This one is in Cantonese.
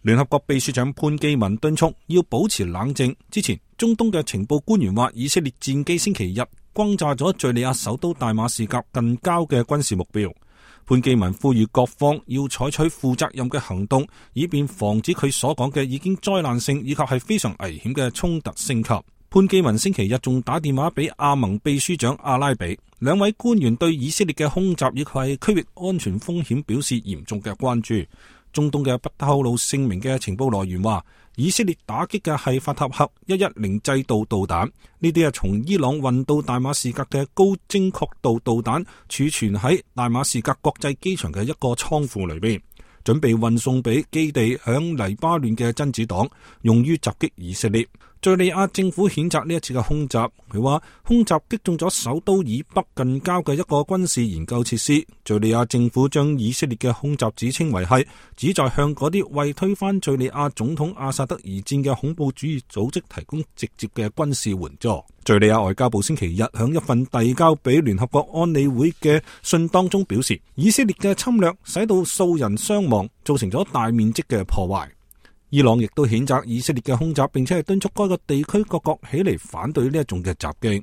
聯合國秘書長潘基文敦促要保持冷靜。之前，中東嘅情報官員話，以色列戰機星期日轟炸咗敘利亞首都大馬士革近郊嘅軍事目標。潘基文呼籲各方要採取負責任嘅行動，以便防止佢所講嘅已經災難性以及係非常危險嘅衝突升級。潘基文星期日仲打電話俾阿盟秘書長阿拉比，兩位官員對以色列嘅空襲以及係區域安全風險表示嚴重嘅關注。中東嘅不透露姓名嘅情報來源話，以色列打擊嘅係法塔赫110制導導彈，呢啲係從伊朗運到大馬士革嘅高精確度導彈，儲存喺大馬士革國際機場嘅一個倉庫裏邊，準備運送俾基地響黎巴嫩嘅真子黨，用於襲擊以色列。敘利亞政府譴責呢一次嘅空襲，佢話空襲擊中咗首都以北近郊嘅一個軍事研究設施。敘利亞政府將以色列嘅空襲指稱為係旨在向嗰啲為推翻敘利亞總統阿薩德而戰嘅恐怖主義組織提供直接嘅軍事援助。敘利亞外交部星期日響一份遞交俾聯合國安理會嘅信當中表示，以色列嘅侵略使到數人傷亡，造成咗大面積嘅破壞。伊朗亦都譴責以色列嘅空襲，並且係敦促該個地區各國起嚟反對呢一種嘅襲擊。